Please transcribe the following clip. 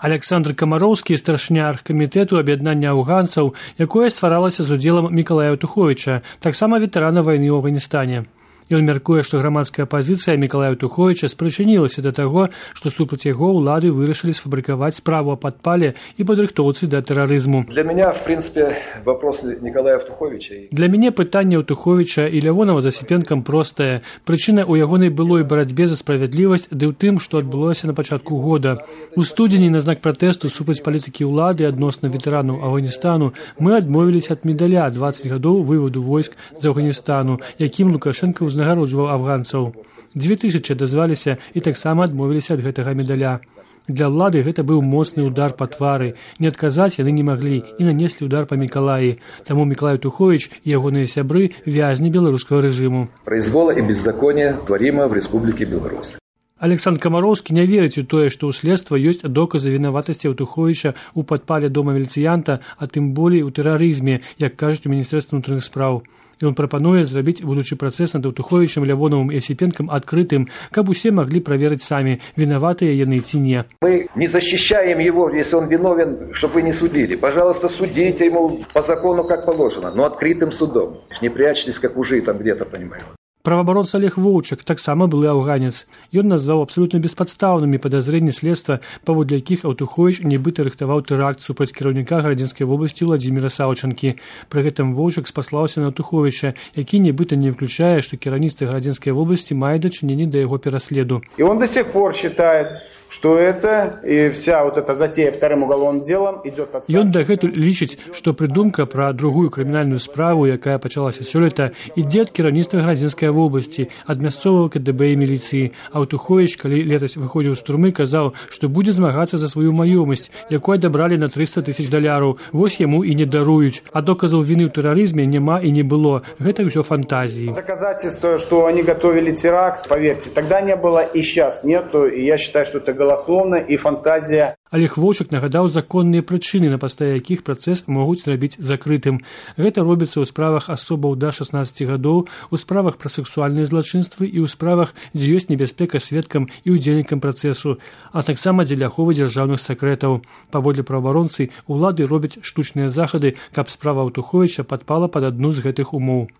Александр Камароўскі, старшыня аргкамітэту аб'яднання афганцаў, якое стваралася з удзелам Мікалая Туховіча, таксама ветэрана вайны ў Афганістане. Ён мяркуе, што грамадская пазіцыя Мікалая Туховіча спрычынілася да таго, што супраць яго ўлады вырашылі сфабрыкаваць справу о падпале і падрыхтоўцы да тэрарызму. Для меня, в принципе, вопрос Николая Туховича. Для мяне пытанне ў Туховіча і Лявонова з Асіпенкам простае. Прычына ў ягонай былой барацьбе за справядлівасць ды ў тым, што адбылося на пачатку года. У студзені на знак пратэсту супраць палітыкі ўлады адносна ветэранаў Афганістану мы адмовіліся ад медаля 20 гадоў вываду войск з Афганістану, якім Лукашенко узнагароджваў афганцаў. 2000 дазваліся і таксама адмовіліся ад гэтага медаля. Для ўлады гэта быў моцны удар па твары. Не адказаць яны не маглі і нанеслі удар па Мікалаі. Таму Мікалай Туховіч і ягоныя сябры вязні беларускага рэжыму. Произвола і беззаконие творимо в Республике Беларусь. Александр Камароўскі не верыць у тое, што ў следства ёсць доказы вінаватасці Туховіча ў падпале дома міліцыянта, а тым болей у тэрарызме, як кажуць у Міністэрстве ўнутраных спраў. Ён прапануе зрабіць будучы працэс над Туховічам, Лявоновым і Асіпенкам адкрытым, каб усе маглі праверыць самі, вінаватыя яны ці не. Мы не защищаем его, если он виновен, чтобы вы не судили. Пожалуйста, судите ему по закону, как положено, но открытым судом. Не прячьтесь, как ужи там где-то, понимаю. Праваабаронца Олег Воўчак таксама былы афганец. Ён назваў абсалютна беспадстаўнымі падазрэнні следства, паводле якіх Туховіч нібыта рыхтаваў тэракт супраць кіраўніка Гарадзінскай вобласці Владзіміра Саўчанкі. Пры гэтым Воўчак спаслаўся на Туховіча, які нібыта не выключае, што кіраўніцтва Гарадзінскай вобласці мае дачыненне да яго пераследу. И он до сих пор считает, что это и вся вот эта затея вторым уголовным делом идет от... Ён дагэтуль лічыць, што прыдумка пра другую крымінальную справу, якая пачалася сёлета, ідзе ад кіраўніцтва Гарадзінскай вобласці, ад мясцовага КДБ і міліцыі. А Туховіч, калі летась выходзіў з турмы, казаў, што будзе змагацца за сваю маёмасць, якую адабралі на $300 000. Вось яму і не даруюць. А доказаў віны ў тэрарызме няма і не было. Гэта ўсё фантазіі. Доказательство, что они готовили теракт, поверьте, тогда не было и сейчас нету. И я считаю, что это голословно и фантазия. Олег Воўчак нагадаў законныя прычыны, на падставе якіх працэс могуць зрабіць закрытым. Гэта робіцца ў справах асобаў да 16 гадоў, у справах пра сексуальныя злачынствы і ў справах, дзе ёсць небяспека сведкам і ўдзельнікам працэсу, а таксама дзеля аховы дзяржаўных сакрэтаў. Паводле праваабаронцы, улады робяць штучныя захады, каб справа Туховіча падпала пад адну з гэтых умоў.